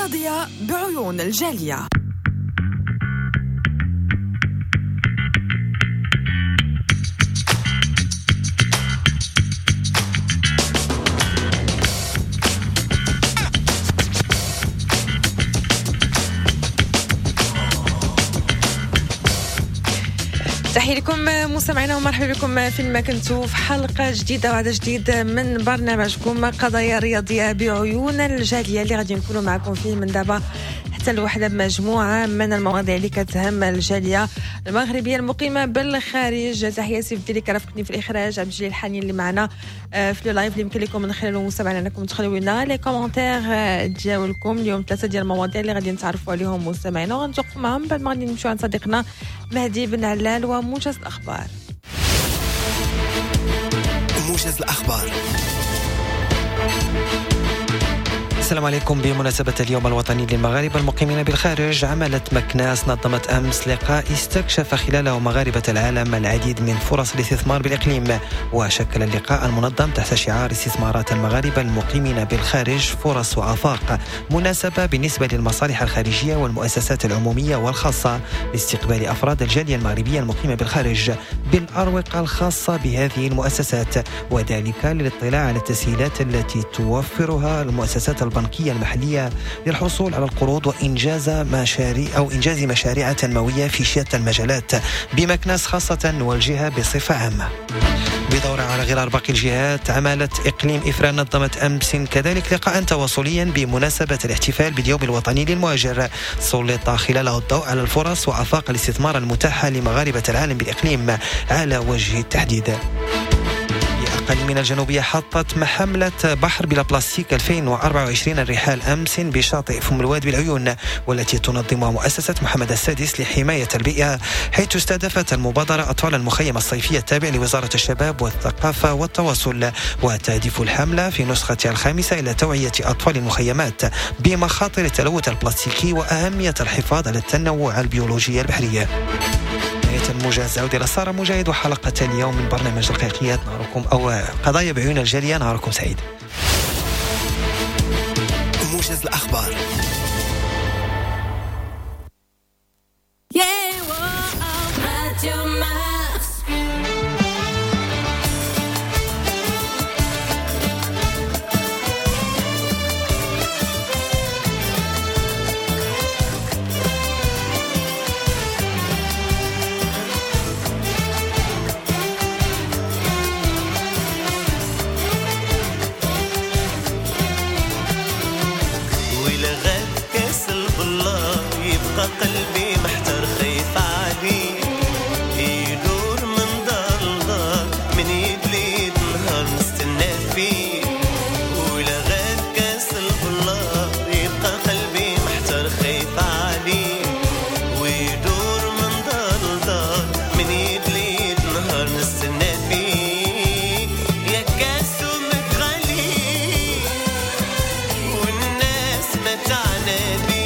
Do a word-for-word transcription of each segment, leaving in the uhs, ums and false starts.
رياضية بعيون الجالية. تحية لكم مستمعينا ومرحبا بكم فين ما كنتوا في حلقة جديدة وعدد جديد من برنامجكم قضايا رياضية بعيون الجالية اللي غادي نكونوا معكم فيه من دابا حتى الوحدة بمجموعة من المواضيع اللي كتهم الجالية المغربية المقيمة بالخارج. تحية سيف اللي كرافقني في الإخراج، عبد الجليل الحنين اللي معنا في le live اللي يمكن لكم من خلاله مستمعينا انكم تخليو لنا les commentaires ديالكم. اليوم ثلاثة ديال المواضيع اللي غادي نتعرفوا عليهم مستمعينا وغنتوقفوا معهم بعد ما غادي نمشيو عند صديقنا مهدي بن علال وموجز الأخبار. موجز الأخبار. السلام عليكم. بمناسبة اليوم الوطني للمغاربة المقيمين بالخارج، عملت مكناس نظمت أمس لقاء استكشف خلاله مغاربة العالم العديد من فرص الاستثمار بالإقليم، وشكل اللقاء المنظم تحت شعار استثمارات المغاربة المقيمين بالخارج فرص وآفاق، مناسبة بالنسبة للمصالح الخارجية والمؤسسات العمومية والخاصة لاستقبال أفراد الجالية المغربية المقيمة بالخارج بالأروقة الخاصة بهذه المؤسسات، وذلك للاطلاع على التسهيلات التي توفرها المؤسسات البنكية المحلية للحصول على القروض وإنجاز مشاريع أو إنجاز مشاريع تنموية في شتى المجالات بمكناس خاصة والجهة بصفة عامة. بدور على غرار باقي الجهات، عمالة إقليم إفران نظمت أمس كذلك لقاء تواصليا بمناسبة الاحتفال باليوم الوطني للمهاجر، سلط خلاله الضوء على الفرص وآفاق الاستثمار المتاحة لمغاربة العالم بالإقليم على وجه التحديد. أقل من الجنوبية حطت محملة بحر بلا بلاستيك ألفين وأربعة وعشرين الرحال أمس بشاطئ فم الواد بالعيون، والتي تنظمها مؤسسة محمد السادس لحماية البيئة، حيث استهدفت المبادرة أطفال المخيم الصيفي التابع لوزارة الشباب والثقافة والتواصل. وتهدف الحملة في نسختها الخامسة إلى توعية أطفال المخيمات بمخاطر التلوث البلاستيكي وأهمية الحفاظ على التنوع البيولوجي البحري. الموجز عودة إلى سارة مجاهد وحلقة اليوم من برنامج الحقيقيات نهاركم أو قضايا بعيون الجالية. نهاركم سعيد. موجز الأخبار. قلبي محتار خايف عليه يدور من دار لدار من يد ليد نهار نستنى فيه، ولا غاب كاس البلار يبقى قلبي محتار خايف عليه ويدور من دار لدار من يد ليد نهار نستنى فيه. يا كاس متغلي والناس متعنا بيه،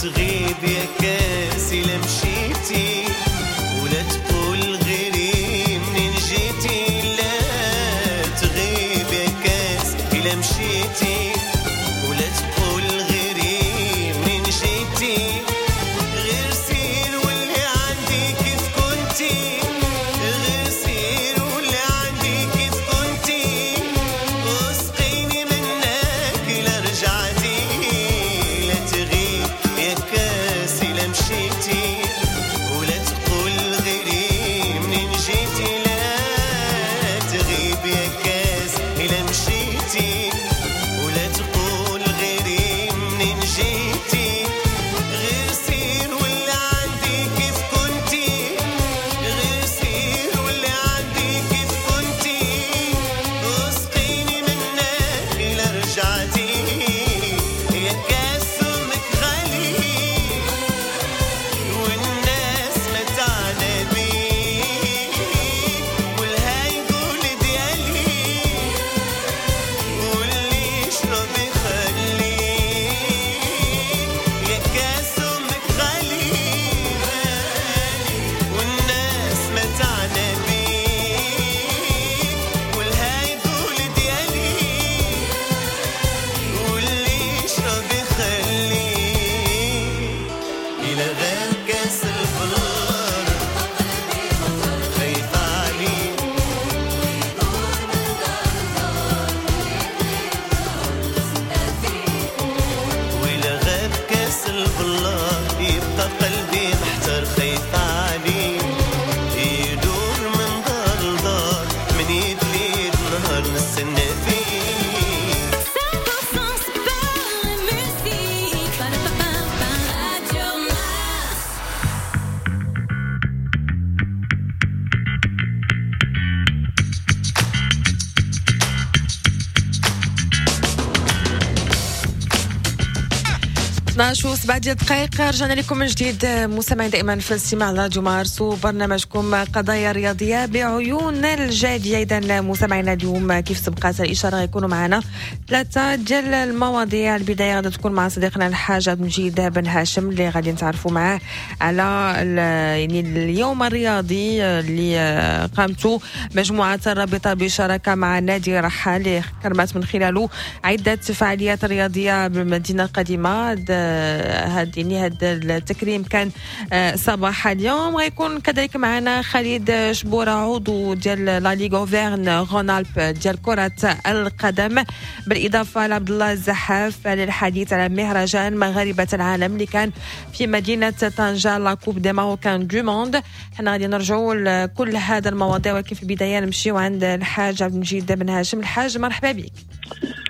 تغيب يا كاس إلا مشيتي ولا تقول غيري منين جيتي. لا تغيب يا كاس إلا مشيتي ولا تقول غيري منين جيتي. غير سير واللي عندي كيف كنتي، غير سير واللي عندي كيف كنتي، وسقيني منك إلا رجعتي. لا تغيب يا كاس إلا مشيتي ولا تقول غيري منين جيتي. لا تغيب يا كاس إلا مشيتي ولا تقول غيري منين جيتي. غير سير واللي عندي كيف كنتي، غير سير واللي عندي كيف كنتي، وسقيني منك إلا رجعتي. يا كاس سمك غالي والناس متعنا بيك، والها يقول ديالي واللي يشرب يخليك. يا كاس سمك غالي غالي والناس متعنا بيك، والها يقول ديالي واللي يشرب يخليك. إلى غير كاس البلار خايف عليك، وإلى غاب كاس البلار يبقى قلبي محتار خايف عليك. يدور من دار لدار من يد ليد نهار نستنى فيك. cent pour cent sport et musique. Pa-da-pa-pa-pa, Radio Mars. اثنا عشر وسبعة ديال الدقائق، رجعنا لكم من جديد مستمعين دائما في الاستماع لراديو مارس وبرنامجكم قضايا رياضية بعيون الجالية. اذا مستمعينا اليوم كيف سبقت الاشارة غيكونوا معنا ثلاثة ديال المواضيع. البداية غادي تكون مع صديقنا الحاج عبد المجيد بن هاشم اللي غادي نتعرفوا معاه على يعني اليوم الرياضي اللي قامته مجموعة الرابطة بشراكه مع نادي رحال اللي كرمت من خلاله عده فعاليات رياضية بالمدينة القديمة. هاد يعني هاد التكريم كان صباح اليوم. غيكون كذلك معنا خالد شبوره عضو ديال la Ligue Auvergne-Rhône-Alpes ديال كرة القدم، بالاضافة لعبد الله الزحاف للحديث على مهرجان مغاربة العالم اللي كان في مدينة طنجة، la Coupe des Marocains du monde. حنا غادي نرجعوا لكل هذا المواضيع، ولكن في البداية نمشيو عند الحاج عبد المجيد بن هاشم. الحاج مرحبا بك.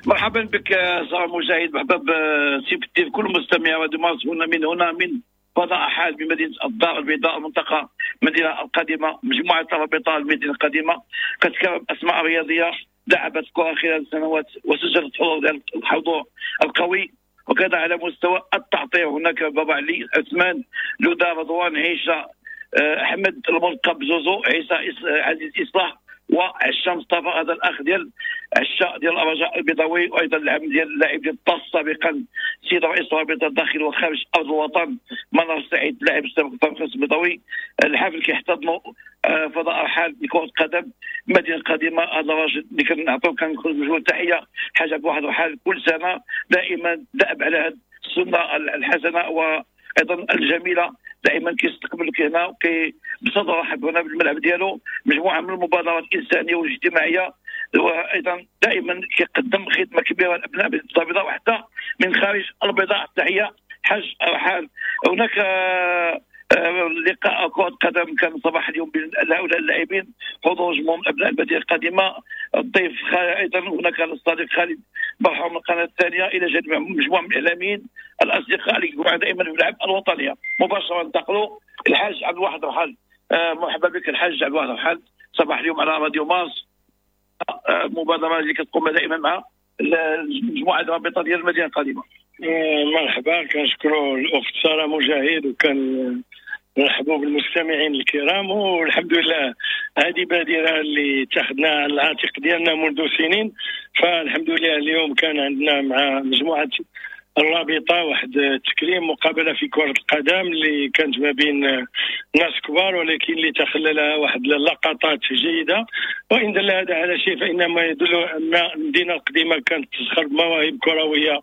مرحبا بك سارة مجاهد، مرحبا بسي كل مستمع راديو مارس هنا من هنا من فضاء حال بمدينة الدار البيضاء، المنطقة المدينة القديمة. مجموعة الرابطة المدينة القديمة كتكرم اسماء رياضية لعبت كره خلال السنوات وسجلت حضور الحضور القوي، وكذا على مستوى التعطير هناك بابا علي، عثمان، لودا، رضوان، عيشه، احمد الملقب زوزو، عيسى عزيز اصلاح، وعشا مصطفى، هذا الاخ ديال عشا ديال الرجاء البيضاوي، وايضا العم ديال اللاعب ديال الطاس سابقا سيد رئيس رابطه الداخل وخارج ارض الوطن منار سعيد لاعب السابق الفرنسي البيضاوي. الحفل كيحتضنوا فضاء رحال لكرة القدم المدينة القديمة. هذا الراجل اللي كنعطيو كنخرجوا تحية حاجة بواحد رحال كل سنة دائما دأب على هذه السنة الحسنة وايضا الجميلة، دائما كيستقبلك هنا وكي بصدر رحب هنا بالملعب ديالو مجموعة من المبادرات الانسانية والاجتماعية، وايضا دائما كيقدم خدمة كبيرة لابناء البيضاء وحتى من خارج البيضاء. تحية حاج رحال. هناك لقاء كرة قدم كان صباح اليوم بين هؤلاء اللاعبين، حضور جمهور من ابناء المدينة القديمة، الضيف ايضا هناك الصديق خالد برحوم من القناة الثانية، الى جانب مجموعة من الاعلاميين الاصدقاء اللي يكونوا دائما في الملعب الوطنية. مباشرة ننتقلوا الحاج عبد الواحد رحال. آه مرحبا بك الحاج عبد الواحد رحال، صباح اليوم على راديو مارس، آه مبادرة اللي كتقوم دائما مع المجموعة الرابطة ديال المدينة القديمة. مرحبا، كنشكروا الاخت ساره مجاهد وكان نرحبوا بالمستمعين الكرام، والحمد لله هذه بادره اللي اتخذناها على العاتق ديالنا منذ سنين، فالحمد لله اليوم كان عندنا مع مجموعة الرابطة واحد التكريم مقابله في كره القدم اللي كانت ما بين ناس كبار، ولكن اللي تخللها واحد اللقطات جيدة. وان دل هذا على شيء فانما يدل ان المدينة القديمة كانت تزخر بمواهب كروية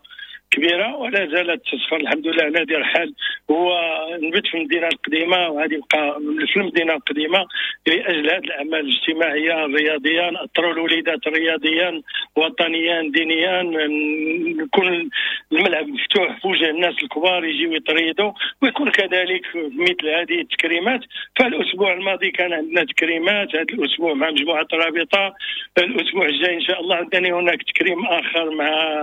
كبيرة ولا زالت تزخر الحمد لله. نادي رحال هو نبت في المدينة القديمة وغادي يبقى في المدينة القديمة لاجل هذه الاعمال الاجتماعية الرياضية، نأطروا الوليدات رياضيا وطنيا دينيا، يكون الملعب مفتوح في وجه الناس الكبار يجيو يتريضوا، ويكون كذلك مثل هذه التكريمات. فالاسبوع الماضي كان عندنا تكريمات، هذا الاسبوع مع مجموعة الرابطة، الاسبوع الجاي ان شاء الله عندنا هناك تكريم اخر مع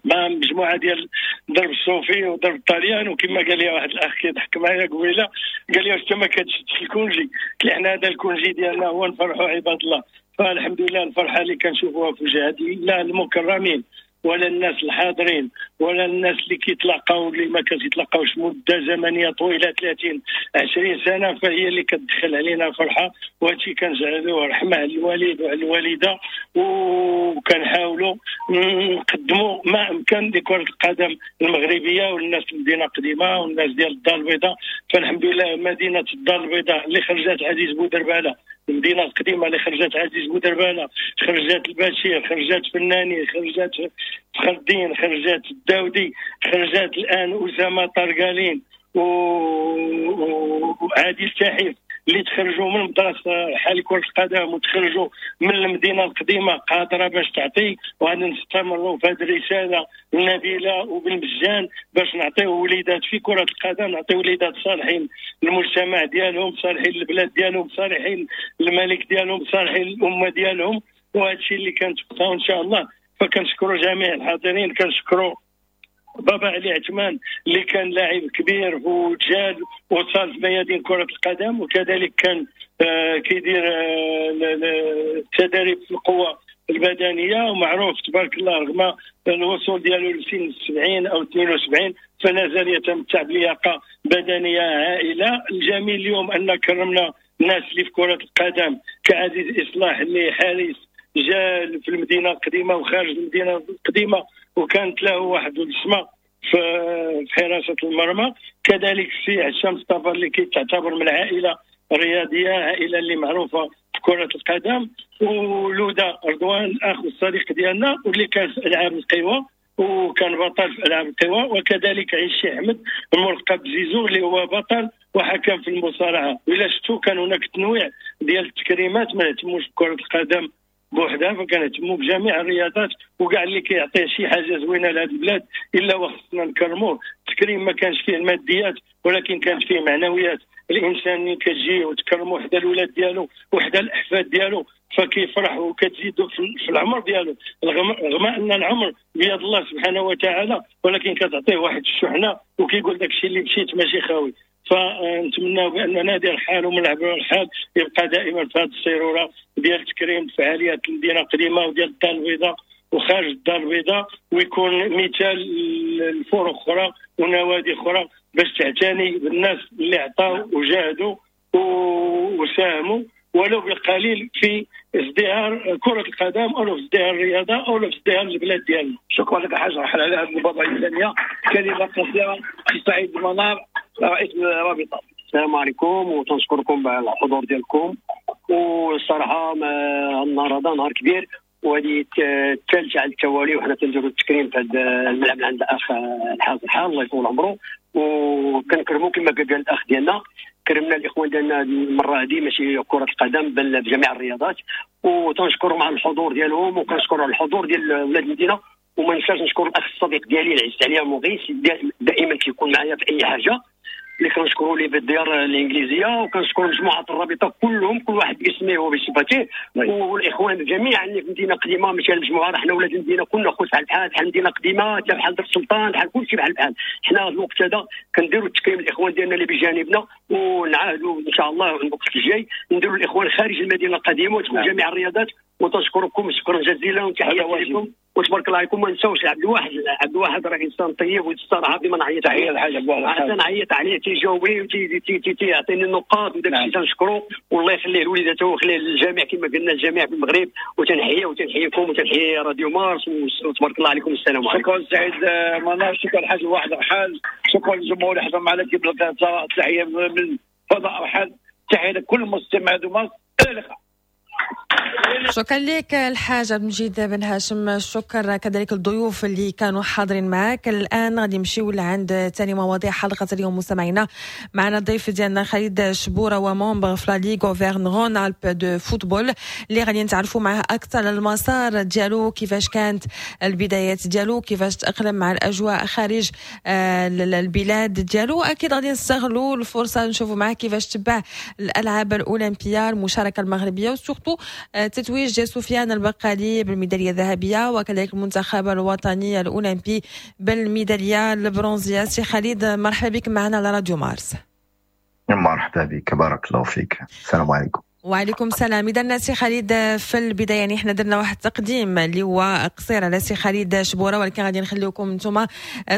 مع مجموعة ديال درب الصوفي ودرب الطليان. وكما قال لي واحد الاخ كيضحك معايا قبيلة، قال لي واش انت ما كتشدش ال congé؟ قلت له حنا هذا ال congé ديالنا هو نفرحوا عباد الله. فالحمد لله الفرحة اللي كنشوفوها في وجه هذه لا المكرمين ولا الناس الحاضرين ولا الناس اللي كيتلاقاو اللي ما كيتلاقاوش مده زمنية طويلة ثلاثين عشرين سنة، فهي اللي كتدخل علينا فرحه. وهادشي كنجعلوه رحمه على الوالد وعلى الوالدة، وكنحاولوا نقدموا ما امكن لكرة القدم المغربية والناس المدينة القديمة والناس ديال الدار البيضاء. فالحمد لله مدينة الدار البيضاء اللي خرجت عزيز بودرباله، المدينة القديمة اللي خرجت عزيز بودرباله، خرجت البشير، خرجت فناني، خرجت فخر الدين، خرجت الداودي، خرجت الان اسامة طرقالين وعادل تحيف، اللي تخرجوا من مدرسه حال كره القدم وتخرجوا من المدينة القديمة قادرة باش تعطي. وغادي نستمروا في هذه الرسالة النبيلة وبالمجان باش نعطيو وليدات في كره القدم، نعطيو وليدات صالحين للمجتمع ديالهم، صالحين للبلاد ديالهم، صالحين للملك ديالهم، صالحين للامة ديالهم. وهذا الشيء اللي كنتبقاو ان شاء الله. فكنشكروا جميع الحاضرين، كنشكروا بابا علي عثمان اللي كان لاعب كبير وجاد وصل في ميادين كرة القدم، وكذلك كان آه كيدير التدريب آه في القوة البدنية، ومعروف تبارك الله رغم الوصول ديالو لسن السبعين أو اثنين وسبعين فلا زال يتمتع بلياقة بدنية هائلة. الجميل اليوم أن كرمنا الناس اللي في كرة القدم كعزيز إصلاح اللي حارس جا في المدينة القديمة وخارج المدينة القديمة وكانت له واحد البصمة في حراسة المرمى. كذلك السي عشام مصطفى اللي كيتعتبر من عائلة رياضية، عائلة اللي معروفة في كره القدم، ولودا رضوان الاخ والصديق ديالنا واللي كان في العاب القوى وكان بطل في العاب القوى، وكذلك عيشي احمد الملقب بزيزو اللي هو بطل وحكم في المصارعة. وإلا شفتوا كان هناك تنويع ديال التكريمات، ما نهتموش بكره القدم بوحدها، فكنهتموا بجميع الرياضات وكاع اللي كيعطي شي حاجة زوينة لهذه البلاد الا وخصنا نكرموه. التكريم ما كانش فيه الماديات ولكن كانت فيه معنويات. الانسان اللي كتجي وتكرمو حدا الولاد ديالو وحدا الاحفاد ديالو فكيفرح وكتزيدو في العمر ديالو، رغم ان العمر بيد الله سبحانه وتعالى، ولكن كتعطيه واحد الشحنة وكيقول داك الشيء اللي مشيت ماشي خاوي. فنتمنى بان نادي رحال وملعب رحال يبقى دائما في هذه السيروره ديال تكريم فعاليات المدينة القديمة وديال الدار البيضاء وخارج الدار البيضاء، ويكون مثال لفرق اخرى ونوادي اخرى باش تعتني بالناس اللي عطاو وجاهدوا وساهموا ولو بالقليل في ازدهار كرة القدم أو في ازدهار الرياضة أو في ازدهار البلاد ديالنا. شكرا لك حاج رحال على هذه المبادرة الإنسانية. كلمة قصيرة سعيد المنار رئيس الرابطة. السلام عليكم وتنشكركم على الحضور ديالكم. والصراحة النهار هذا نهار كبير، وهذه الثالثة على التوالي وحنا تنديروا التكريم في هذا الملعب عند الأخ الحاج رحال الله يطول عمره، وكنكرموا كما قال الأخ ديالنا، كرمنا الاخوان ديالنا المرة هذه ماشي كره القدم بل بجميع الرياضات، وتنشكرهم على الحضور ديالهم وكنشكر على الحضور ديال ولاد المدينة. وما ننساش نشكر الاخ الصديق ديالي العزيز عليا مغيث، دائما كيكون معايا في اي حاجة، اللي كنشكروا ليه بالديار الانجليزية، وكنشكر مجموعة الرابطة كلهم كل واحد باسمه وبصفته، والاخوان جميعا اللي في المدينة القديمة ماشي المجموعة، راه حنا ولاد المدينة كلنا خوت بحال بحال، بحال المدينة القديمة حتى بحال درب السلطان بحال كلشي بحال بحال. حنا هذا الوقت هذا كنديروا التكريم الاخوان ديالنا اللي بجانبنا، ونعاهدوا ان شاء الله الوقت الجاي نديروا الاخوان خارج المدينة القديمة وتكون جميع الرياضات. وتشكركم شكرا جزيلا وتحية لكم وتبارك الله عليكم. ما نساوش عبد الواحد، عبد الواحد راه انسان طيب والصراحة ديما نعيط تحية للحاج عبد الواحد، نعيط عليه تيجاوبني وتيعطيني النقاط وداك الشيء تنشكرو، والله يخليه لوليداته ويخليه للجميع كما قلنا الجميع في المغرب. وتنحيه وتنحييكم وتنحيي راديو مارس وتبارك الله عليكم. السلام عليكم. شكرا سعيد منار، شكرا الحاج الواحد رحال، شكرا للجمهور اللي حضر معنا كيف تحية من فضاء رحال، تحية لكل مستمع راديو مارس. الى اللقاء. شكرا لك الحاج عبد المجيد بن هاشم، شكرا كذلك الضيوف اللي كانوا حاضرين معك. الان غادي نمشيو لعند ثاني مواضيع حلقة اليوم مستمعينا. معنا الضيف ديالنا خالد شبوره و membre في la Ligue Auvergne-Rhône-Alpes de football، اللي غادي نتعرفوا معاه اكثر على المسار ديالو، كيفاش كانت البدايات ديالو، كيفاش تاقلم مع الاجواء خارج آه، البلاد ديالو. اكيد غادي نستغلوا الفرصة نشوفوا معاه كيفاش تبع الالعاب الاولمبية، المشاركة المغربية، و surtout تتويج ديال سفيان البقالي بالميداليه الذهبية وكذلك المنتخب الوطني الاولمبي بالميداليه البرونزيه. سي خالد، مرحبا بك معنا على راديو مارس. مرحبا بك، بارك الله فيك، السلام عليكم. وعليكم السلام. اذا سي خالد، في البداية يعني احنا درنا واحد التقديم اللي هو قصير على سي خالد شبوره، ولكن غادي نخليكم انتم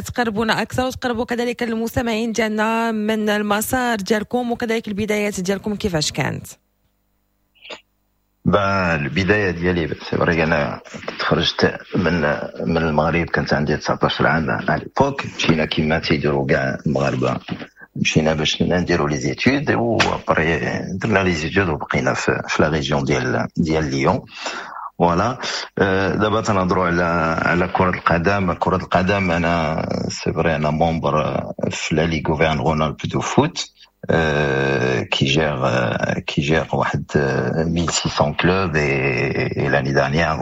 تقربونا اكثر وتقربوا كذلك المستمعين ديالنا من المسار ديالكم وكذلك البدايات ديالكم كيفاش كانت. البداية ديالي، c'est vrai، انا كنت خرجت من من المغرب، كانت عندي تسعطاش عام à l'époque. مشينا كيما تيديروا كاع المغاربه، مشينا باش نديروا les études، و après درنا les études وبقينا في, في la région ديال ديال ليون. voilà. دابا تنهضروا على على كرة القدم. كرة القدم، انا c'est vrai انا membre في la Ligue Auvergne-Rhône-Alpes de foot qui gère qui gère واحد mille six cents clubs et, et l'année dernière،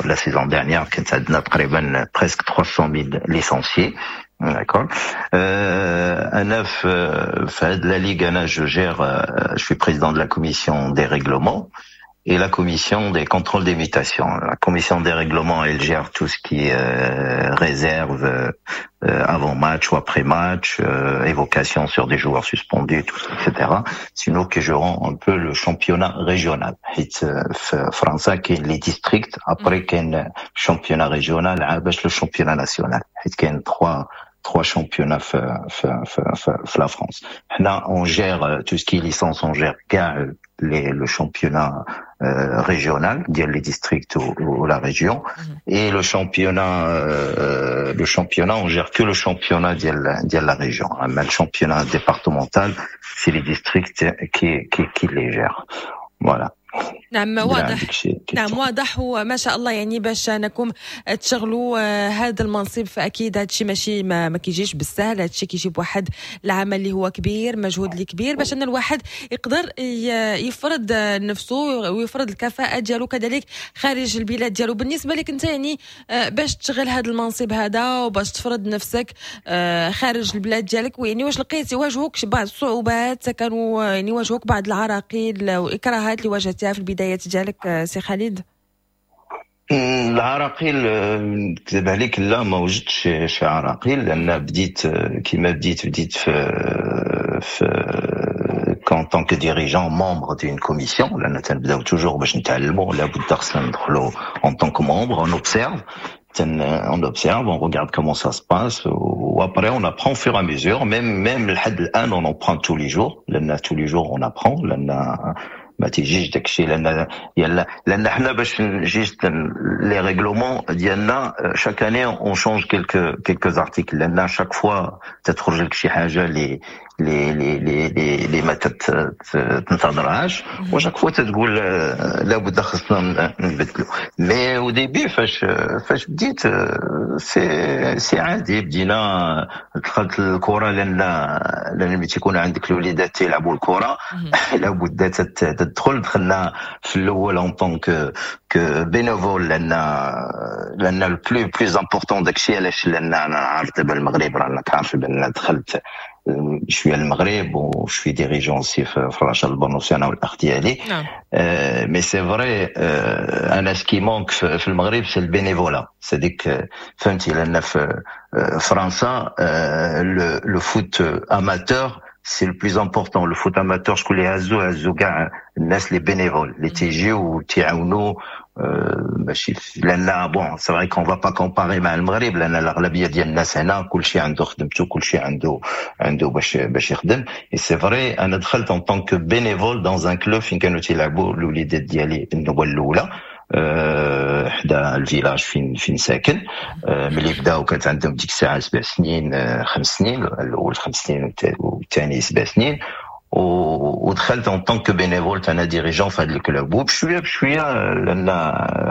la saison dernière، كانت عندنا تقريبا presque trois cent mille licenciés. D'accord. Euh, أنا في هاد la ligue، أنا je gère، je suis président de la commission des règlements et la commission des contrôles des mutations. La commission des règlements, elle gère tout ce qui est euh, réserve euh, avant match ou après match, euh, évocation sur des joueurs suspendus, tout ça, et cetera. C'est nous qui gérons un peu le championnat régional. فرنسا كاين les districts, après كاين championnat régional, عاد باش le championnat national. حيت كاين trois trois championnats في la France. حنا on gère tout ce qui est licence, on gère كاع les, le championnat euh, régional ديال les districts ou, ou la région et le championnat euh, le championnat on gère que le championnat ديال ديال la région. Mais le championnat départemental، c'est les districts qui qui, qui les gèrent. Voilà. نعم واضح، نعم واضح، وما شاء الله. يعني باش انكم تشغلوا آه، هذا المنصب فاكيد هذا الشيء ماشي ما, ما كيجيش بالسهل. هذا الشيء كيجي بواحد العمل اللي هو كبير، مجهود اللي كبير، باش ان الواحد يقدر يفرض نفسه ويفرض الكفاءة ديالو كذلك خارج البلاد ديالو. بالنسبة لك انت يعني آه، باش تشغل هذا المنصب هذا وباش تفرض نفسك آه، خارج البلاد ديالك، ويعني واش لقيتي واجهوك بعض الصعوبات، كانوا يعني واجهوك بعض العراقيل والاكراهات اللي واجهتها في البدايات ديالك سي خالد؟ العراقيل، نكذب عليك، لا، ما وجدتش شي عراقيل، لان بديت كيما بديت بديت في في en tant que dirigeant membre d'une commission، لان تنبداو toujours باش نتعلموا، لابد خصنا ندخلوا en tant que membre، on observe on observe، on regarde comment ça se passe، و après on apprend au fur et à mesure، même même لحد الان on apprend tous les jours، لان tous les jours on apprend، لان ما تيجيش داكشي، لان لان حنا باش juste les règlements ديالنا، chaque année on change quelques quelques articles، لان chaque fois تتخرج لك شي حاجة اللي اللي اللي اللي اللي ما تنتظرهاش، و chaque fois تتقول لابد خصنا نبدلو. mais au début فاش فاش بديت c'est c'est عادي، بدينا، دخلت الكره لان لان ملي تيكون عندك الوليدات تيلعبوا الكره لابد تدخل. دخلنا في الاول en tant que que bénévole، لان لان le plus plus important داكشي علاش، لان انا عارف دابا المغرب، راك عارف بان دخلت شوية المغرب و je suis dirigeant aussi في الرجاء البرنوصي انا والاخ ديالي. نعم. mais c'est vrai، انا ce qui manque في المغرب c'est le bénévolat، c'est ديك، فهمتي؟ لان في فرنسا le foot amateur c'est le plus important. le foot amateur شكون اللي هزو؟ هزو كاع الناس les bénévoles اللي تيجيو وتيعاونوا. ماشي لان bon، c'est vrai qu'on va pas comparer مع المغرب، لان الاغلبية ديال الناس هنا كلشي عنده خدمته، كلشي عنده عنده باش باش يخدم. et c'est vrai، انا دخلت en tant que bénévole dans un club فين كانوا تيلعبوا الوليدات ديالي النوبة الاولى، أه، حدا ال village فين فين ساكن. أه، ملي بداو كانت عندهم ديك الساعة سبع سنين، أه، خمس سنين، الاول خمس سنين والثاني سبع سنين، ودخلت en tant que bénévole انا dirigeant في هذا ال club. وبشويه بشويه، لان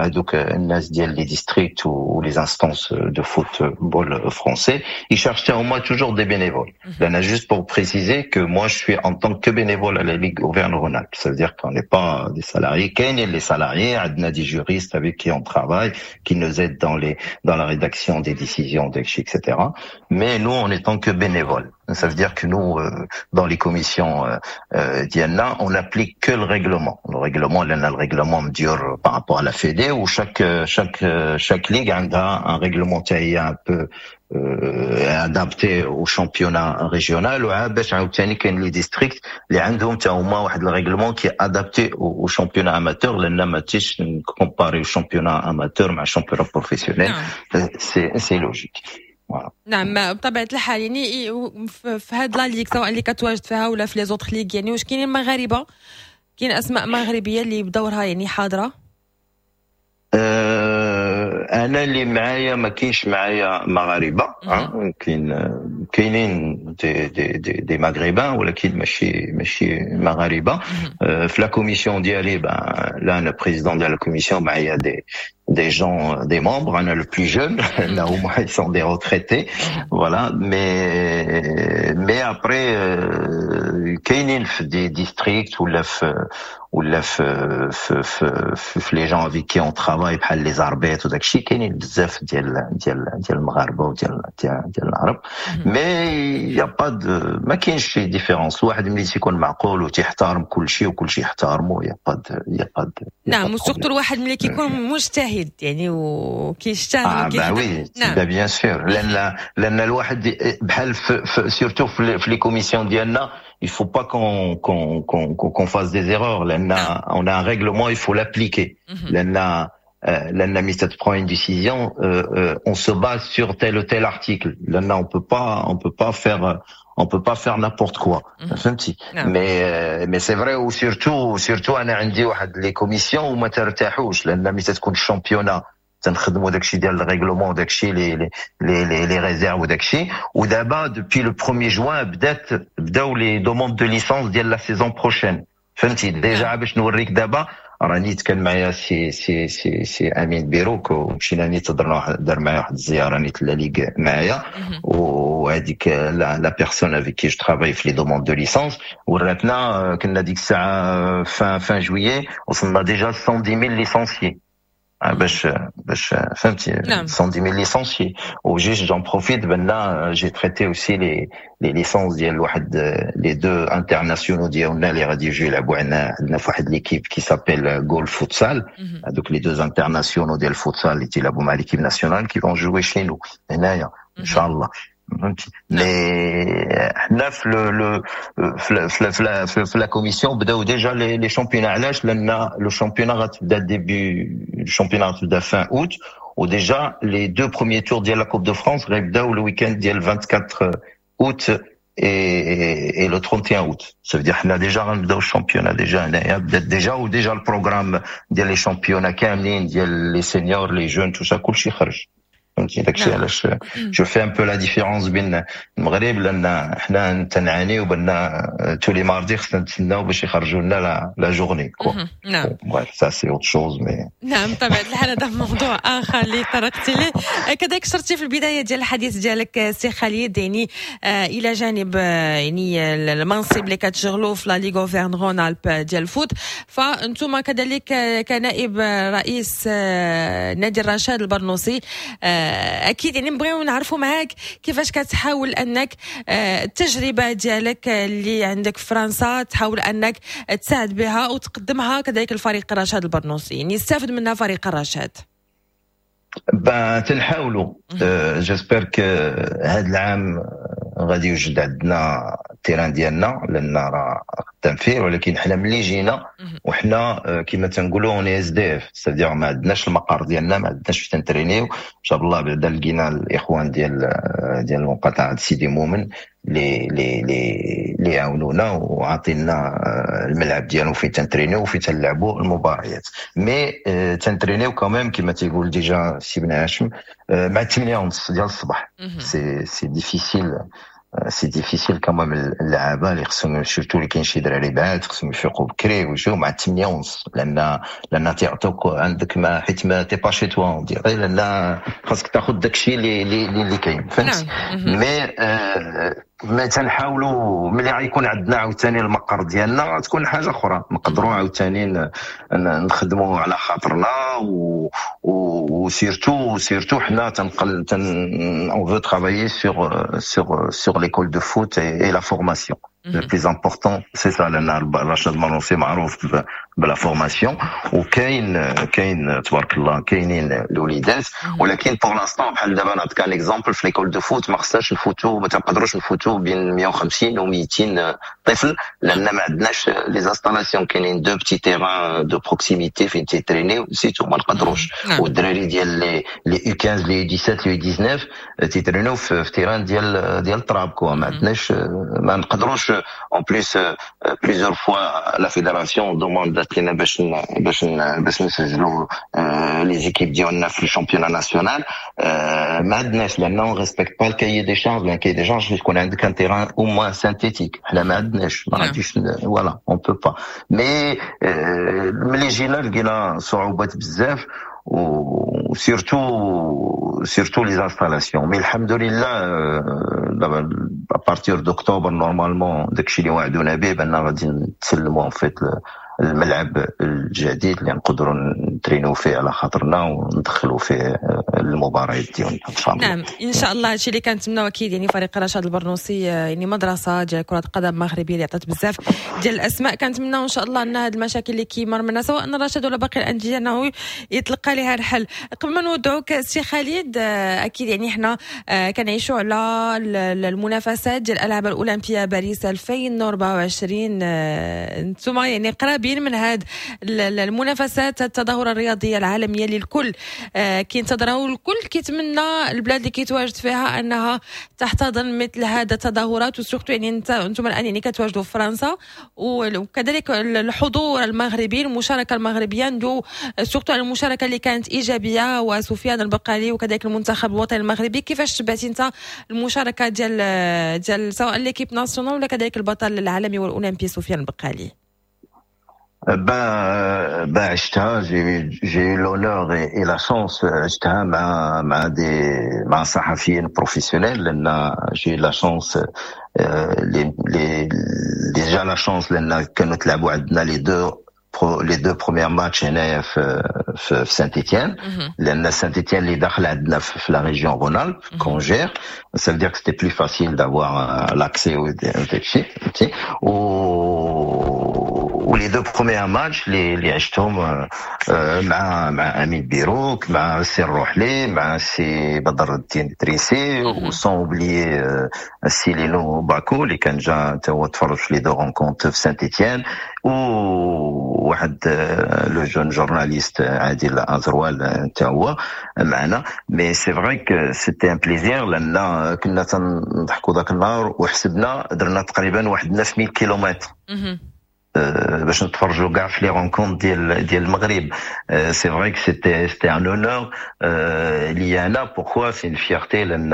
هذوك الناس ديال les districts و les instances de football français، ils cherchent هما toujours des bénévoles. لان juste pour préciser que moi je suis en tant que bénévole à la Ligue Auvergne-Rhône-Alpes، ça veut dire qu'on n'est pas des salariés. كاينين les salariés، عندنا des juristes avec qui on travaille، qui nous aident dans les dans la rédaction des décisions، et cetera. Mais nous، on est tant que bénévoles. Ça veut dire que nous، euh, dans les commissions euh, euh, ديالنا، on n'applique que le règlement. Le règlement، لأن le règlement مديور par rapport à la Fédé، و chaque chaque chaque ligue a un règlement un peu euh, adapté au championnat régional. وباش عاوتاني كاين les districts اللي عندهم حتى هما واحد ال règlement qui est adapté au championnat amateur، لان ما تيش comparer championnat amateur مع championnat professionnel، c'est c'est logique. نعم، بطبيعة الحال. يعني في هاد la ligue، سواء اللي كتواجد فيها ولا في les autres ligues، يعني واش كاينين مغاربه، كاين اسماء مغربية اللي بدورها يعني حاضره؟ أه انا اللي معايا، ما كاينش معايا مغاربه. كاين كاينين des des des, des maghrébins، ولكن ماشي ماشي مغاربه. أه في la commission ديالي، لا، انا président ديال la commission، معايا des des gens، des membres. أنا le plus jeune، là au moins ils sont des retraités، voilà. Mais mais après كاينين في des districts ولا في ولا في في في, في les gens avec qui on travaille، بحال les arbitres وداك الشيء، كاينين بزاف ديال ديال ديال المغاربة وديال ديال ديال العرب. mais y a pas de ما كاينش شي différence. واحد ملي تيكون معقول وتيحترم كل شيء وكل شيء يحترمه، y a pas y a pas. نعم، و surtout الواحد ملي كيكون مجتهد يعني وكيشتغل. اه bah oui، نعم، bien sûr، لان لان الواحد بحال surtout في les commissions ديالنا، il faut pas qu'on qu'on qu'on qu'on fasse des erreurs، لان on a un règlement، il faut l'appliquer. لان لان ملي prend une décision، on se base sur tel ou tel article، لان on peut pas on peut pas faire on peut pas faire n'importe quoi، فهمتي؟ mais mais c'est vrai، و surtout surtout انا عندي واحد les commissions وما ترتاحوش، لان ملي تكون ال championnat تنخدموا داكشي ديال ال règlement، داكشي les les les les réserves وداكشي. ودابا depuis le premier juin بدات بداو les demandes de licence ديال la saison prochaine، فهمتي؟ déjà باش نوريك، دابا راني كان معايا سي سي سي سي امين بيروك، ومشينا نيت درنا دار معايا واحد الزيارة نيت la ligue معايا، وهذيك la personne avec qui je travaille في les demandes de licence وراتنا، كنا ديك الساعة fin fin juillet، وصلنا déjà cent dix mille licenciés، باش باش فهمتي؟ نعم. cent dix mille licenciés. و juste j'en profite بان j'ai traité aussi les les licences ديال واحد les deux internationaux ديالنا اللي غادي يجيو يلعبوا عندنا عندنا في واحد l'équipe qui s'appelle Goal Futsal. هذوك les deux internationaux ديال الفوتسال اللي تيلعبوا مع l'équipe nationale qui vont jouer chez nous هنايا ان شاء الله، فهمتي؟ mais حنا في le في في في la commission بداو déjà les les championnats. علاش؟ لان le championnat غتبدا début، ال championnat غتبدا fin août، و déjà les deux premiers tours ديال la Coupe de France غيبداو le week-end ديال vingt-quatre août et, et le trente et un août. Ça veut dire حنا déjà غنبداو ال championnat déjà هنايا بدات déjà، و déjà ال programme ديال les championnats كاملين ديال les seniors، les jeunes، tout ça، كلشي خرج، فهمتي؟ داكشي علاش je fais un peu la différence بين المغرب، لان حنا تنعانيو بان tous les mardis خصنا نتسناو باش يخرجوا لنا la journée quoi. نعم. bref، ça c'est autre chose، mais نعم، بطبيعة الحال، هذا موضوع اخر اللي طرقت له. كذلك شرتي في البداية ديال الحديث ديالك سي خالد، يعني آه، الى جانب آه، يعني المنصب اللي كتشغلوا في la Ligue Auvergne-Rhône-Alpes ديال ال foot، فانتم كذلك كنائب رئيس آه، نادي الرشاد البرنوسي، اكيد يعني نبغيو نعرفوا معاك كيفاش كتحاول انك آه، التجربة ديالك اللي عندك في فرنسا تحاول انك تساعد بها وتقدمها كذلك الفريق الرشاد البرنوسي، يعني يستافد منها فريق الرشاد. ben تنحاولوا، j'espère que هذا العام غادي يوجد عندنا ال terrain ديالنا، لان راه خدام فيه. ولكن حنا ملي جينا وحنا كما تنقولوا on est SDF، c'est-à-dire ما عندناش المقر ديالنا، ما عندناش فين تنترينيو. جاب الله بعدا لقينا الاخوان ديال ديال المقاطعة سيدي مومن اللي اللي اللي عاونونا وعطينا الملعب ديالو فين تنترينيو وفين تنلعبوا المباريات. mais تنترينيو quand même، كما تيقول déjà سي بن هاشم، مع ثمانية ونص ديال الصباح. c'est c'est difficile، c'est difficile quand même. اللعابه اللي خصهم، surtout اللي كاين شي دراري بعاد، خصهم يفيقوا بكري ويجيو مع ثمانية ونص، لان لان تيعطوك عندك ما حيت ما t'es pas chez toi، لان خاصك تاخذ داكشي اللي اللي اللي كاين، فهمت؟ mais آه ما تنحاولوا ملي غيكون عندنا عاوتاني المقر ديالنا تكون حاجة اخرى، نقدروا عاوتاني نخدموا على خاطرنا. و و surtout surtout حنا تنقل تن on veut travailler sur sur sur l'école de foot et, et la formation. Le plus important، c'est ça، لان رشاد البرنوصي معروف ب la formation، وكاين كاين تبارك الله كاينين الوليدات. ولكن pour l'instant، بحال دابا نعطيك un exemple، في l'école de foot ما خصناش نفوتو، ما تنقدروش نفوتو بين مية وخمسين و ميتين طفل، لان ما عندناش les installations. كاينين deux petits terrains de proximité فين تيترينيو، c'est tout، ما نقدروش. والدراري ديال les les U quinze، les U dix-sept، les U dix-neuf تيترينيو في terrain ديال ديال التراب quoi. ما عندناش، ما نقدروش. en plus، plusieurs fois la fédération demandات لنا باش باش باش نسجلوا les équipes ديالنا في ال championnat national، ما عندناش، لان on respecte pas ال cahier des charges. لان cahier des charges يكون عندك un terrain au moins synthétique، حنا ما عندناش، ما غاديش، voilà، on peut pas. mais ملي جينا لقينا صعوبات بزاف، و surtout surtout les installations. mais الحمد لله، دابا à partir d'octobre normalement داكشي اللي وعدونا به بان غادي نتسلموا en fait الملعب الجديد اللي نقدروا نترينو فيه على خاطرنا وندخلوا فيه المباريات ديالنا ان شاء الله. نعم، ان شاء الله، هادشي اللي كنتمناو اكيد. يعني فريق رشاد البرنوصي يعني مدرسه ديال كره قدم مغربية اللي عطات بزاف ديال الاسماء. كنتمناو ان شاء الله ان هاد المشاكل اللي كيمر منها سواء رشاد ولا باقي الاندية انه يتلقى لها الحل. قبل ما نودعوك سي خالد، اكيد يعني حنا كنعيشوا على المنافسات ديال الالعاب الاولمبية باريس ألفين وأربعة وعشرين. انتم يعني قرابين من هاد المنافسات، التظاهرة الرياضية العالمية اللي الكل كينتظرها والكل كيتمنى البلاد اللي كيتواجد فيها انها تحتضن مثل هذا التظاهرات، و surtout يعني انت انتم الان يعني كتواجدوا في فرنسا، وكذلك الحضور المغربي، المشاركة المغربيه، ندو surtout على المشاركة اللي كانت ايجابية وسفيان البقالي وكذلك المنتخب الوطني المغربي. كيفاش تبعتي انت المشاركة ديال ديال سواء l'équipe nationale ولا كذلك البطل العالمي والاولمبي سفيان البقالي؟ Ben, ben عشتها، j'ai j'ai eu l'honneur et, et la chance، عشتها مع مع des مع صحفيين professionnels، لان j'ai eu la chance، les les déjà la chance لان كانوا تلعبوا عندنا les deux les deux premiers matchs هنايا في في, في سانت-إتيان، لان سانت-إتيان اللي داخل عندنا في la région Rhône-Alpes qu'on gère، ça veut dire que c'était plus facile d'avoir l'accès au داكشي، فهمتي؟ و و les deux premiers matchs اللي اللي عشتهم مع مع امين بيروك، مع السي الروحلي، مع السي بدر الدين الدريسي، و sans oublier السي لينو باكو اللي كان جا تا هو تفرج في les deux rencontres في سانت-إتيان، وواحد le jeune journaliste عادل ازروال تا هو معنا. mais c'est vrai que c'était un plaisir، لان كنا تنضحكوا ذاك النهار وحسبنا، درنا تقريبا واحد تسعة آلاف كيلومتر باش نتفرجوا كاع في les rencontres ديال ديال المغرب. c'est vrai que c'était c'était un honneur ليا انا. pourquoi؟ c'est une fierté، لان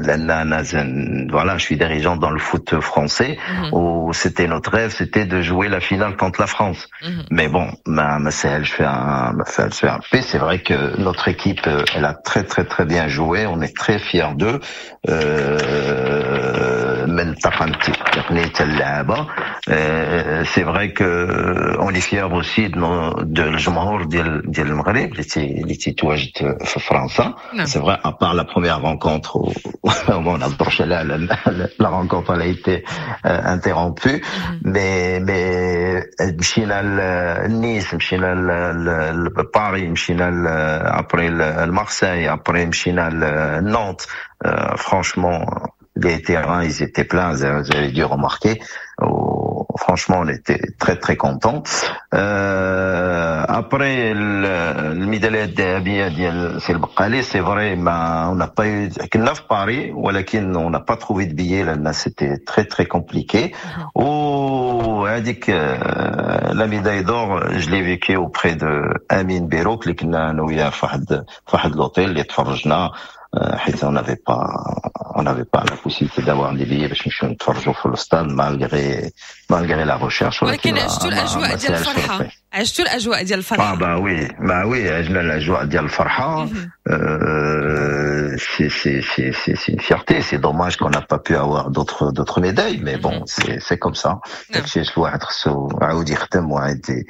لان انا voilà، je suis dirigeant dans le foot français و c'était notre rêve، c'était de jouer la finale contre la France. mais bon، ما ما سهلش فيها، ما سهلش فيها. c'est vrai que notre équipe، elle a très très très bien joué، on est très fiers d'eux، من الطاقم التقني حتى اللعابه. c'est vrai que on est fiers aussi de الجمهور ديال ديال المغرب اللي تي اللي تيتواجد في فرنسا. c'est vrai، à part la première rencontre، ما نهضروش على la rencontre، elle a été interrompue. mais mais مشينا لنيس، مشينا لباري، مشينا après لمارسيل، après مشينا لنانت. franchement، les terrains، ils étaient pleins، vous avez dû remarquer. Franchement, on était très très contents. Après الميداليه الذهبية ديال سي البقالي، c'est vrai ما on n'a pas eu، كنا في باري ولكن on n'a pas trouvé de billets لان c'était très très compliqué. وهذيك la médaille d'or، je l'ai vécue auprès de امين بيروك اللي كنا انا وياه في واحد في واحد l'hôtel اللي تفرجنا، حيت on n'avait pas on n'avait pas la possibilité d'avoir des billets باش نمشيو نتفرجوا في الستاد malgré malgré la recherche. ولكن عشتوا الاجواء ديال الفرحه، عشتوا الاجواء ديال الفرحه. اه bah oui، bah oui، عشنا الاجواء ديال الفرحه. c'est c'est c'est c'est c'est une fierté. C'est dommage qu'on n'a pas pu avoir d'autres d'autres médailles، mais bon، c'est c'est comme ça. داكشي الواحد خصو عاود يخدم وعاد.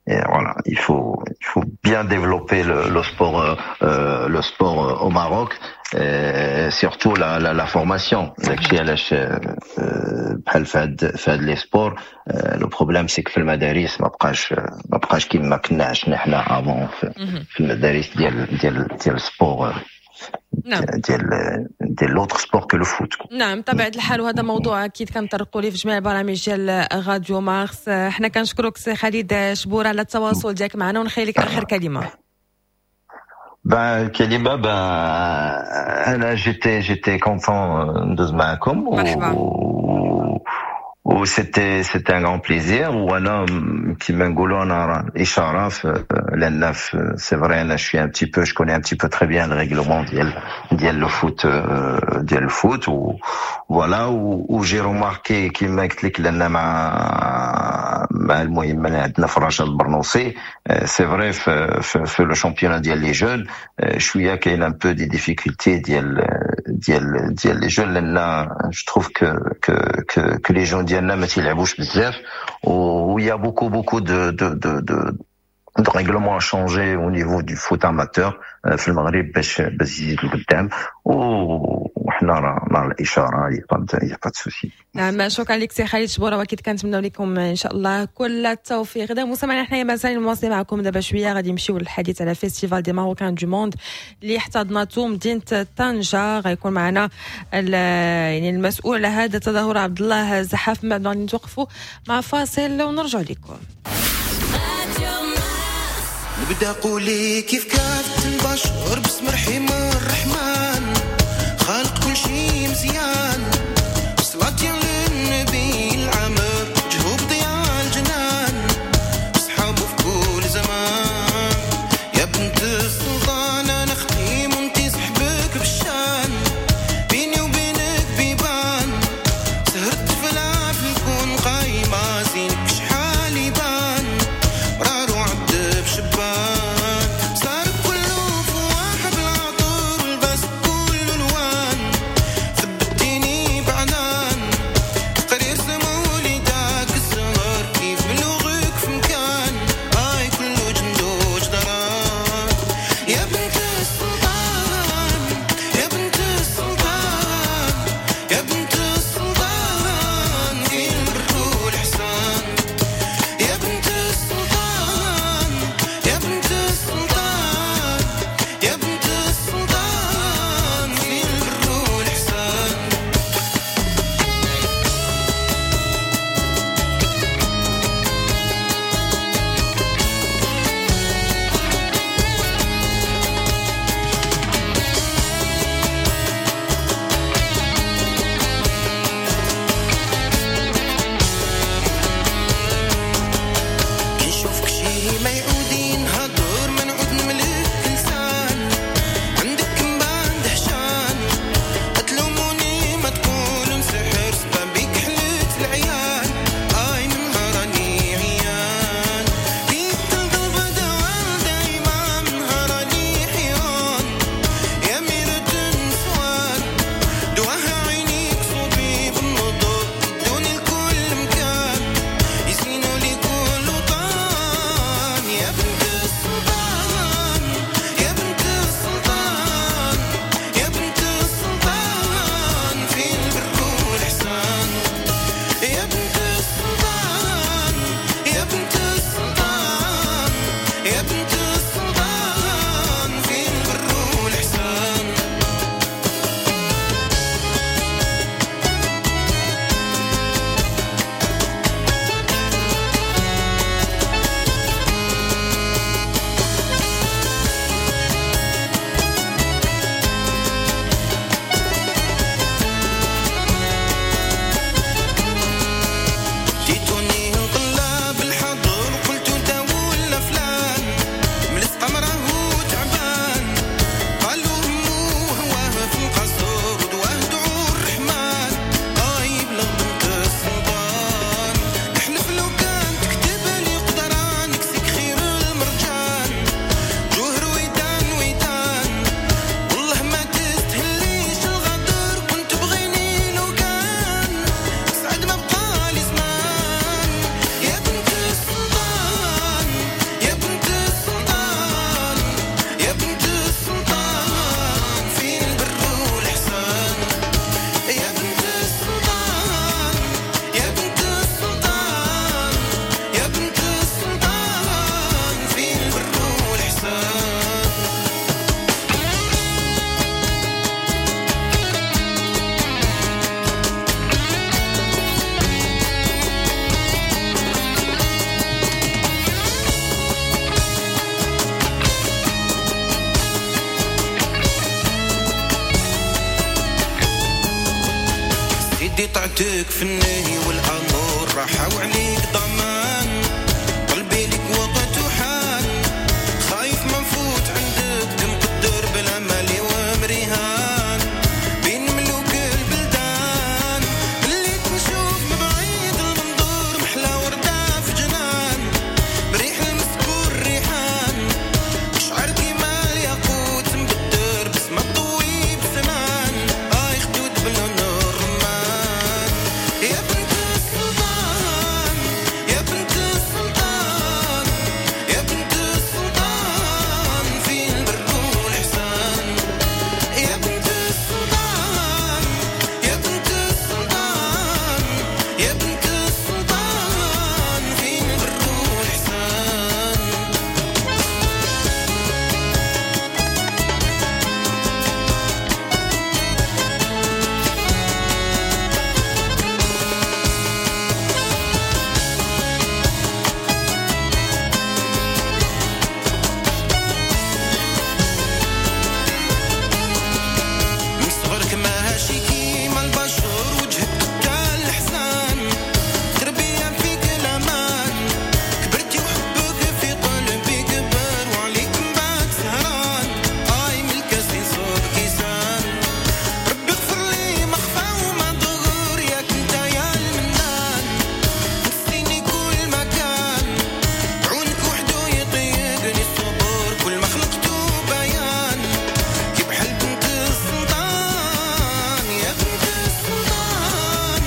Et voilà، il faut il faut bien développer le, le sport euh, le sport au Maroc، et surtout la la, la formation. داكشي علاش بحال في هاد في هاد les sports، le problème c'est que في المدارس ما بقاش ما بقاش كيما كنا عشنا حنا avant في, في المدارس ديال ديال ديال ال sport، نعم. ديال ديال l'autre sport que le foot. نعم، بطبيعة الحال، وهذا موضوع اكيد كنطرقوا ليه في جميع البرامج ديال راديو مارس. حنا كنشكرك سي خالد شبور على التواصل ديالك معنا ونخلي لك اخر كلمه. Ben، كلمة، ben، أنا j'étais j'étais content ندوز معكم. مرحبا. و c'était c'était un grand plaisir. وانا كيما نقولوا انا راه الاشارة لان c'est vrai، انا je suis un petit peu je connais un petit peu très bien le règlement ديال ديال le foot ديال ال foot و voilà، و j'ai remarqué كيما قلت لك لان مع مع المهم عندنا في رشاد البرنوصي، c'est vrai، في في le championnat ديال les jeunes شوية كاين un peu des difficultés ديال ديال ديال les jeunes، لان je trouve que que que les jeunes ديالنا ما تيلعبوش بزاف و y a beaucoup beaucoup de de de de de règlements à changer au niveau du foot amateur في المغرب باش باش يزيد لقدام، وحنا راه مع الاشاره، y a pas de souci. نعم، شكرا لك سي خالد شبوره، واكيد كنتمنوا لكم ان شاء الله كل التوفيق. اذا مستمعينا، حنايا مازال مواصلين معكم. دابا شوية غادي نمشيو للحديث على festival des Marocains du monde اللي احتضنته مدينة طنجه. غيكون معنا يعني المسؤول على هذا التظاهر عبد الله زحاف. من بعد غادي نتوقفوا مع فاصل ونرجع لكم. نبدا قولي كيف كانت البشر، بسم رحيم الرحمن خالق كل شي مزيان، صلاة للنبي العامر جهوب ضياء الجنان، صحابه في كل زمان. يا بنت السلطان انا ختيم وانتي صحبك بالشان، بيني وبينك بيبان، سهرت في في الكون قايمة، زينك شحال يبان، مرار وعد بشبان، صار كله فواح بالعطر والبس. سيدي طعتك في النهي والامر راحة وعليك ضمان قلبي لك وقت وحان خايف ما نفوت عندك مقدر بلا مالي ومريهان بين ملوك البلدان اللي تنشوف من بعيد المنظور محلى وردة في جنان بريح المسكور ريحان شعر كيما الياقوت مبدر بسمة طويب زمان اي خدود بلون الرمان يا بنت السلطان يا بنت السلطان يا بنت السلطان في البر والإحسان يا بنت السلطان يا بنت السلطان يا بنت السلطان في البر والإحسان. من صغرك ماشي كيما البشر وجهك كان الحسان تربية فيك الأمان كبرتي وحبك في قلبي كبر وعليك من بعد سهران آي من الكاس نصوب كيسان ربي اغفر لي ما خفى وما ظهر ياك انت يا المنان نسيني كل مكان عونك وحده يطيقني الصبر كل ما خلقته بيان كي بحال بنت السلطان يا بنت السلطان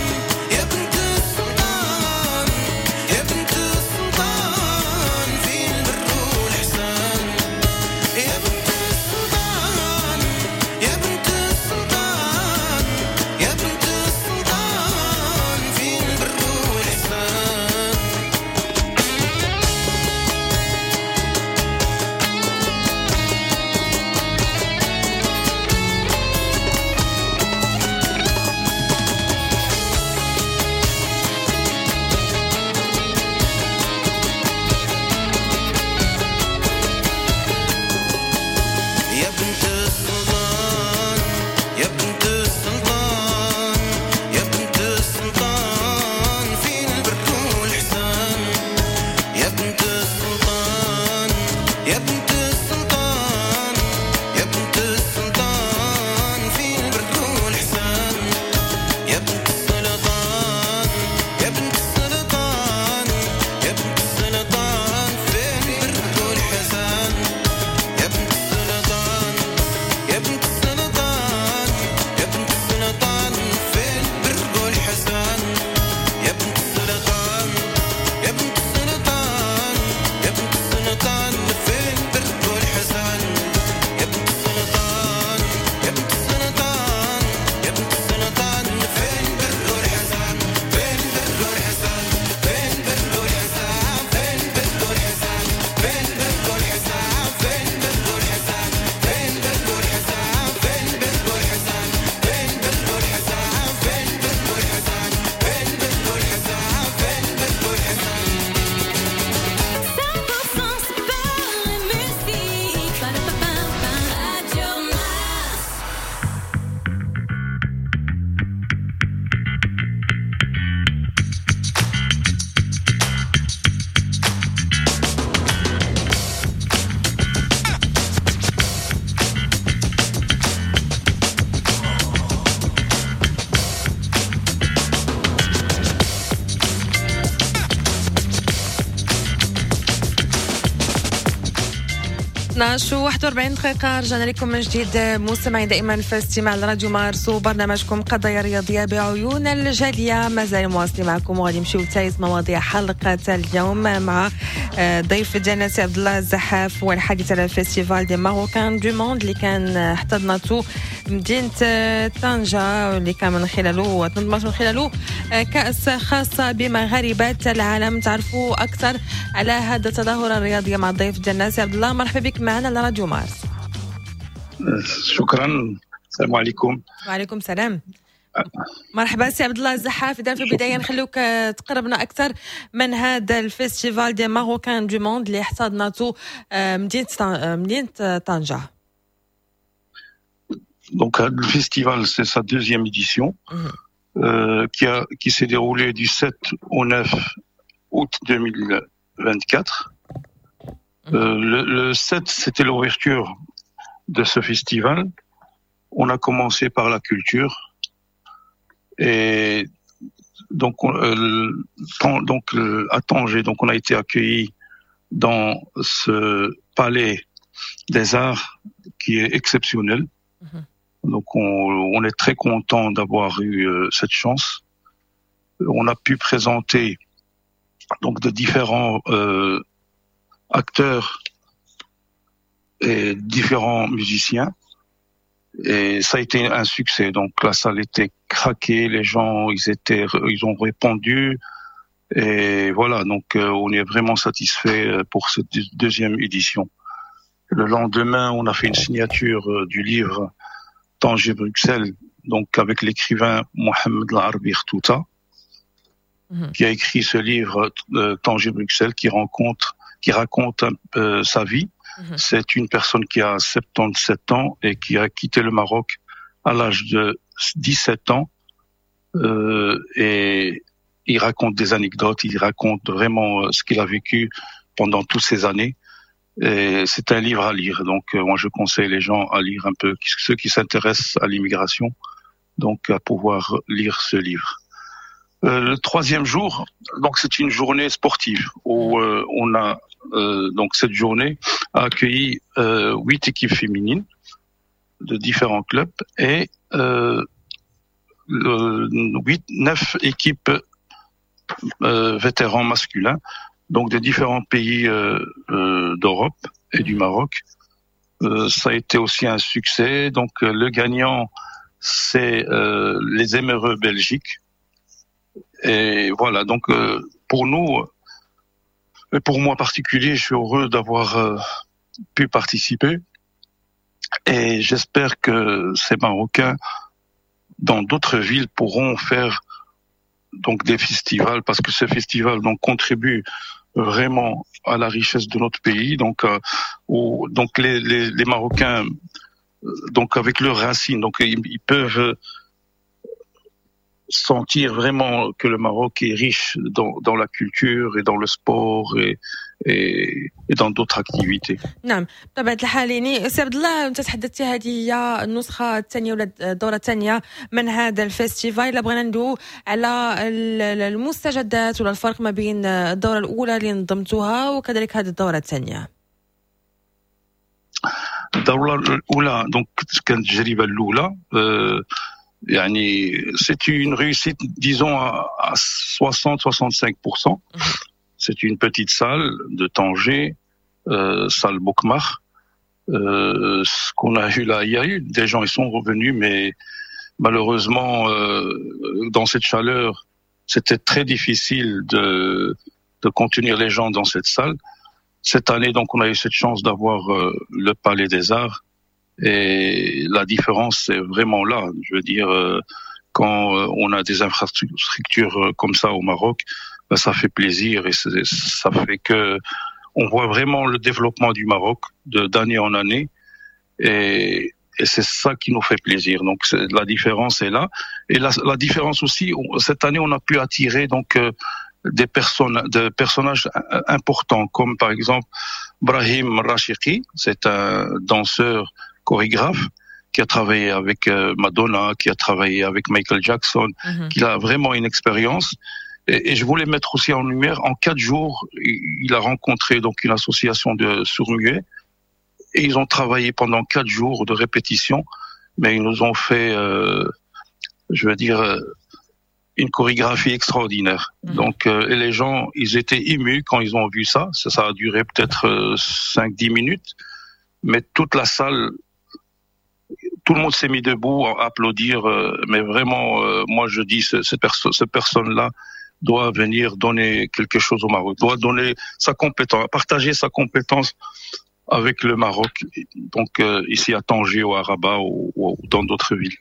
يا بنت السلطان يا بنت السلطان في البر والإحسان يا بنت السلطان يا بنت السلطان يا بنت السلطان في البر والإحسان. يا بنت السلطان يا بنت السلطان يا بنت السلطان في البر والإحسان يا بنت السلطان يا بنت السلطان يا بنت السلطان في البر والإحسان يا بنت السلطان يا بنت السلطان يا بنت السلطان في البر والإحسان يا بنت السلطان يا بنت السلطان يا بنت السلطان في البر والحسان يا بنت السلطان يا بنت السلطان يا بنت السلطان في البر والحسان يا بنت السلطان يا بنت السلطان يا بنت السلطان في البر والحسان في البر والحسان في البر والحسان في البر والحسان في البر والحسان في البر والحسان في البر والحسان في البر والحسان في البر والحسان في البر والحسان في البر والحسان في البر والحسان. cent pour cent sport et musique. Pa-da-pa-pa-pa. Radio Mars. اثنا عشر و واحد وأربعين دقيقة، رجعنا لكم من جديد مستمعين دائما في استماع لراديو مارس وبرنامجكم قضايا رياضية بعيون الجالية. مازال مواصلين معكم وغادي نمشيو لثالث مواضيع حلقة اليوم مع آه، ضيف ديالنا سي عبد الله الزحاف والحديث على festival des Marocains du monde اللي كان احتضنته مدينة آه، طنجة، اللي كان من خلاله تنظمت من خلاله آه، كأس خاصة بمغاربة العالم. تعرفوا أكثر على هذا التظاهرة الرياضية مع الضيف ديالنا سي عبد الله. مرحبا بك معنا على راديو مارس. شكرا، السلام عليكم. وعليكم السلام، مرحبا سي عبد الله الزحاف. اذا في البداية نخلوك آه، تقربنا اكثر من هذا ال festival des Marocains du monde اللي احتضنته آه، مدينة آه، مدينة طنجه. Donc le festival, c'est sa deuxième édition. euh, qui, a, qui s'est déroulé du sept au neuf août deux mille vingt-quatre. Euh, le, le sept, c'était l'ouverture de ce festival. On a commencé par la culture. Et donc, on, euh, donc à Tanger, donc on a été accueillis dans ce palais des arts qui est exceptionnel. Mhm. Donc on, on, est très content d'avoir eu euh, cette chance. On a pu présenter donc de différents euh, acteurs et différents musiciens et ça a été un succès. Donc la salle était craquée, les gens ils étaient ils ont répondu et voilà, donc euh, on est vraiment satisfait euh, pour cette deuxième édition. Le lendemain, on a fait une signature euh, du livre Tanger-Bruxelles, donc avec l'écrivain Mohamed Larbi Chtouta, mhm. qui a écrit ce livre Tanger-Bruxelles, qui rencontre, qui raconte un peu sa vie. Mhm. C'est une personne qui a soixante-dix-sept ans et qui a quitté le Maroc à l'âge de dix-sept ans. Euh, et il raconte des anecdotes, il raconte vraiment euh, ce qu'il a vécu pendant toutes ces années. Et c'est un livre à lire. Donc, euh, moi, je conseille les gens à lire un peu, ceux qui s'intéressent à l'immigration, donc à pouvoir lire ce livre. Euh, le troisième jour, donc c'est une journée sportive où euh, on a euh, donc cette journée a accueilli euh, huit équipes féminines de différents clubs et euh, huit, neuf équipes euh, vétérans masculins, donc de différents pays euh, euh, d'Europe et du Maroc. Euh, ça a été aussi un succès. Donc le gagnant, c'est les Émereux Belgique. Et voilà, donc pour nous, et pour moi en particulier, je suis heureux d'avoir pu participer. Et j'espère que ces Marocains, dans d'autres villes, pourront faire donc des festivals, parce que ce festival donc contribue vraiment à la richesse de notre pays. Donc, euh, où, donc les, les, les Marocains, donc avec leurs racines, donc ils, ils peuvent sentir vraiment que le Maroc est riche dans, dans la culture et dans le sport et, et, et dans d'autres activités. نعم، بطبيعة الحال. يعني سي عبد الله، انت تحدثتي، هذه هي النسخة الثانية ولا الدورة الثانية من هذا ال festival. الا بغينا ندوي على المستجدات ولا الفرق ما بين الدورة الأولى اللي نظمتوها وكذلك هذه الدورة الثانية. الدورة الأولى donc كانت التجربة الأولى أه يعني c'est une réussite, disons, à soixante soixante-cinq pour cent. C'est une petite salle de Tanger, euh, salle Bokmar. Euh, ce qu'on a eu là, il y a eu des gens, ils sont revenus, mais malheureusement, euh, dans cette chaleur, c'était très difficile de, de contenir les gens dans cette salle. Cette année, donc, on a eu cette chance d'avoir euh, le Palais des Arts et la différence est vraiment là. Je veux dire, euh, quand euh, on a des infrastructures euh, comme ça au Maroc, ben, ça fait plaisir et ça fait que on voit vraiment le développement du Maroc de d'année en année et, et c'est ça qui nous fait plaisir. Donc la différence est là et la, la différence aussi, cette année, on a pu attirer donc des personnes, de personnages importants comme par exemple Brahim Rachiki, c'est un danseur chorégraphe qui a travaillé avec euh, Madonna, qui a travaillé avec Michael Jackson, mhm. qui a vraiment une expérience. Et, et, je voulais mettre aussi en lumière, en quatre jours, il a rencontré donc une association de sourds-muets et ils ont travaillé pendant quatre jours de répétition, mais ils nous ont fait, euh, je veux dire, euh, une chorégraphie extraordinaire. Mhm. Donc, euh, et les gens, ils étaient émus quand ils ont vu ça. Ça, ça a duré peut-être cinq, dix minutes, mais toute la salle, tout le monde s'est mis debout à applaudir. Euh, mais vraiment, euh, moi je dis, cette, perso cette personne-là doit venir donner quelque chose au Maroc, doit donner sa compétence, partager sa compétence avec le Maroc, donc euh, ici à Tanger ou à Rabat ou, ou dans d'autres villes.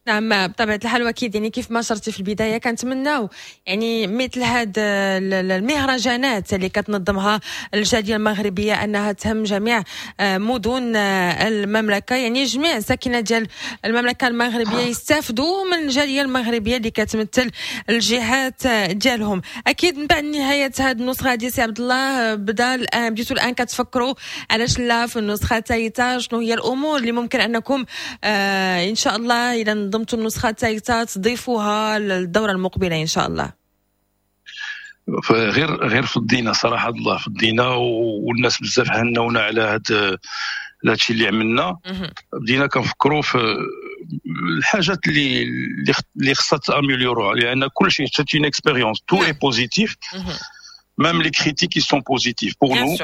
نعم، بطبيعة الحال، واكيد يعني كيف ما شرتي في البداية كنتمناو يعني مثل هاد المهرجانات اللي كتنظمها الجالية المغربية انها تهم جميع آه، مدن آه، المملكه، يعني جميع ساكنة ديال المملكة المغربية يستافدوا من الجالية المغربية اللي كتمثل الجهات ديالهم. اكيد من بعد نهاية هذه النسخة هذه، سي عبد الله، بدا الان بديتوا الان كتفكروا علاش لا في النسخة الثالثه. شنو هي الامور اللي ممكن انكم آه ان شاء الله الى نظمتوا النسخة الثالثة تضيفوها للدورة المقبلة ان شاء الله؟ غير غير فضينا، صراحة الله فضينا، والناس بزاف هنونا على هذا الشيء اللي عملنا. بدينا كنفكروا في الحاجات اللي اللي خصها ت améliorer، لان كل شيء c'est une expérience، tout est positif، même les critiques ils sont positives pour nous.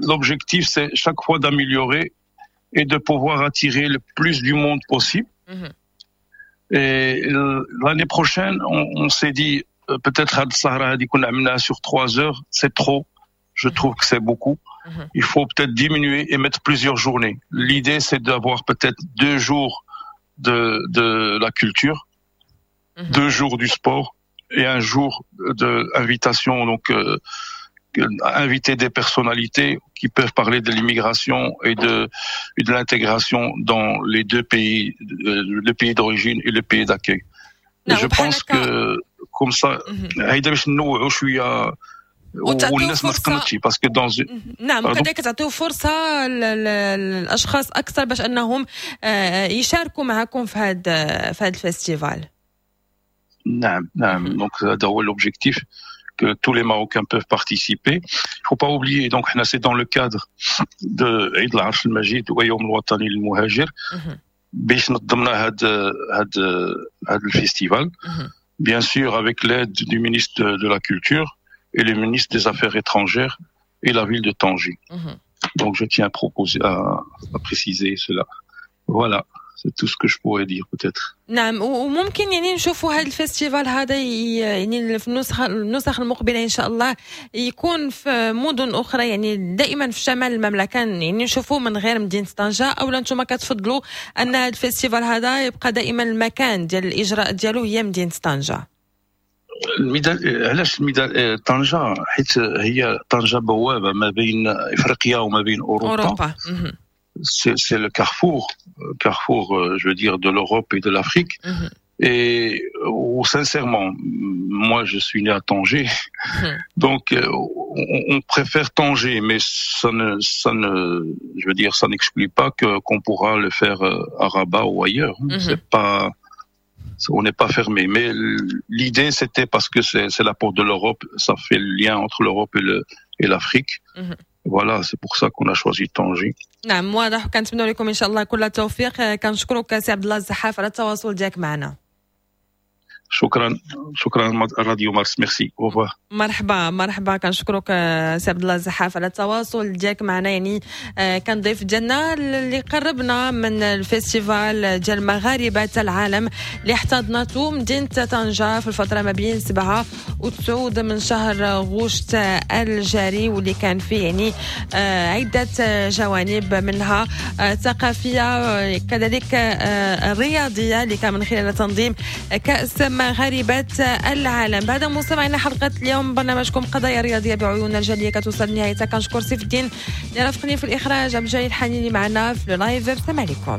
L'objectif، c'est chaque fois d'améliorer et de pouvoir attirer le plus du monde possible. Et l'année prochaine، on, on s'est dit peut-être هاد السهرة هذه كنا عملناها sur trois heures، c'est trop. Je trouve que c'est beaucoup. Il faut peut-être diminuer et mettre plusieurs journées. L'idée، c'est d'avoir peut-être deux jours de, de la culture، deux jours du sport et un jour de invitation. Donc, euh, inviter des personnalités qui peuvent parler de l'immigration et de, et de l'intégration dans les deux pays، le pays d'origine et le pays d'accueil. Je pense que comme ça، هيدا باش نوعوا شوية والناس ما تقنطش parce que dans نعم، وكذلك تعطيو فرصة للاشخاص اكثر باش انهم يشاركوا معكم في هذا في هذا ال festival. نعم نعم، donc هذا هو l'objectif، que tous les Marocains peuvent participer. Il faut pas oublier، donc c'est dans le cadre de عيد العرش المجيد ويوم الوطني للمهاجر باش نظمنا هاد هاد هاد ال festival، bien sûr avec l'aide du ministre de la Culture et le ministre des Affaires étrangères et la ville de Tanger. Donc je tiens à proposer à, à préciser cela. Voilà. C'est tout ce que je pourrais dire peut-être. نعم، وممكن يعني نشوفوا هذا ال festival هذا يعني في النسخة النسخ المقبلة ان شاء الله يكون في مدن اخرى، يعني دائما في شمال المملكه، يعني نشوفوه من غير مدينة طنجه، او انتم كتفضلوا ان هذا ال festival هذا يبقى دائما المكان ديال الاجراء ديالو هي مدينة طنجه؟ الميدان، علاش الميدان طنجه؟ حيت هي طنجه بوابه ما بين افريقيا وما بين اوروبا. اوروبا. c'est le carrefour، carrefour، je veux dire، de l'Europe et de l'Afrique. Mm -hmm. Et oh، sincèrement، moi je suis né à Tanger، mm -hmm. donc on, on préfère Tanger، mais ça ne, ça ne, je veux dire، ça n'exclut pas que qu'on pourra le faire à Rabat ou ailleurs. Mm -hmm. C'est pas، on n'est pas fermé. Mais l'idée، c'était parce que c'est la porte de l'Europe، ça fait le lien entre l'Europe et le et l'Afrique. Voilà، c'est pour ça qu'on a choisi Tanger. نعم، واضح. كنتمنى لكم ان شاء الله كل التوفيق. كنشكرك سي عبد الله الزحاف على التواصل ديالك معنا. شكرا شكرا راديو مارس، merci، au revoir. مرحبا مرحبا. كنشكرك سي عبد الله الزحاف على التواصل ديالك معنا، يعني كان ضيف ديالنا اللي قربنا من ال festival ديال مغاربة العالم اللي احتضنته مدينة طنجه في الفترة ما بين سبعة وتسعود من شهر غشت الجاري، واللي كان فيه يعني عده جوانب، منها ثقافيه، كذلك الرياضيه، اللي كان من خلال تنظيم كاس مغاربة العالم. بعد مستمعينا، حلقة اليوم برنامجكم قضايا رياضية بعيون الجالية كتوصل لنهايتها. كنشكر سيف الدين اللي رافقني في الاخراج، عبد الجليل الحنيني معنا في ال live. السلام عليكم.